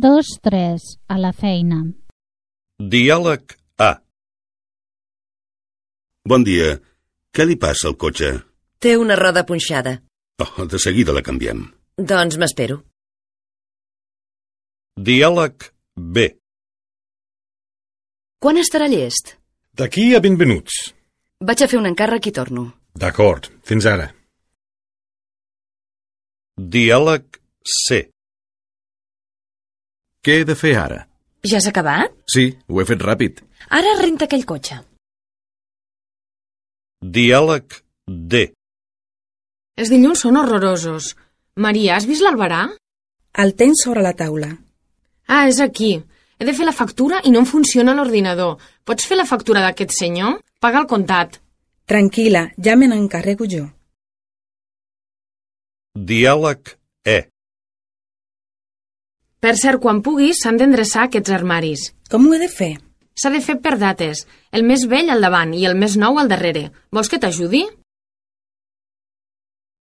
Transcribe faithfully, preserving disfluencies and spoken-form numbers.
dos tres, a la feina. Diàleg A. Bon dia. Què li passa al cotxe? Té una roda punxada. Oh, de seguida la canviem. Doncs m'espero. Diàleg B. Quan estarà llest? D'aquí a vint minuts. Vaig a fer un encàrrec i torno. D'acord, fins ara. Diàleg C. Què he de fer ara? Ja has acabat? Sí, ho he fet ràpid. Ara renta aquell cotxe. Diàleg D. Els dilluns són horrorosos. Maria, has vist l'albarà? El tens sobre la taula. Ah, és aquí. He de fer la factura i no em funciona l'ordinador. Pots fer la factura d'aquest senyor? Paga el comptat. Tranquil·la, ja me n'encarrego jo. Diàleg E. Per cert, quan puguis, s'han d'endreçar aquests armaris. Com ho he de fer? S'ha de fer per dates. El més vell al davant i el més nou al darrere. Vols que t'ajudi?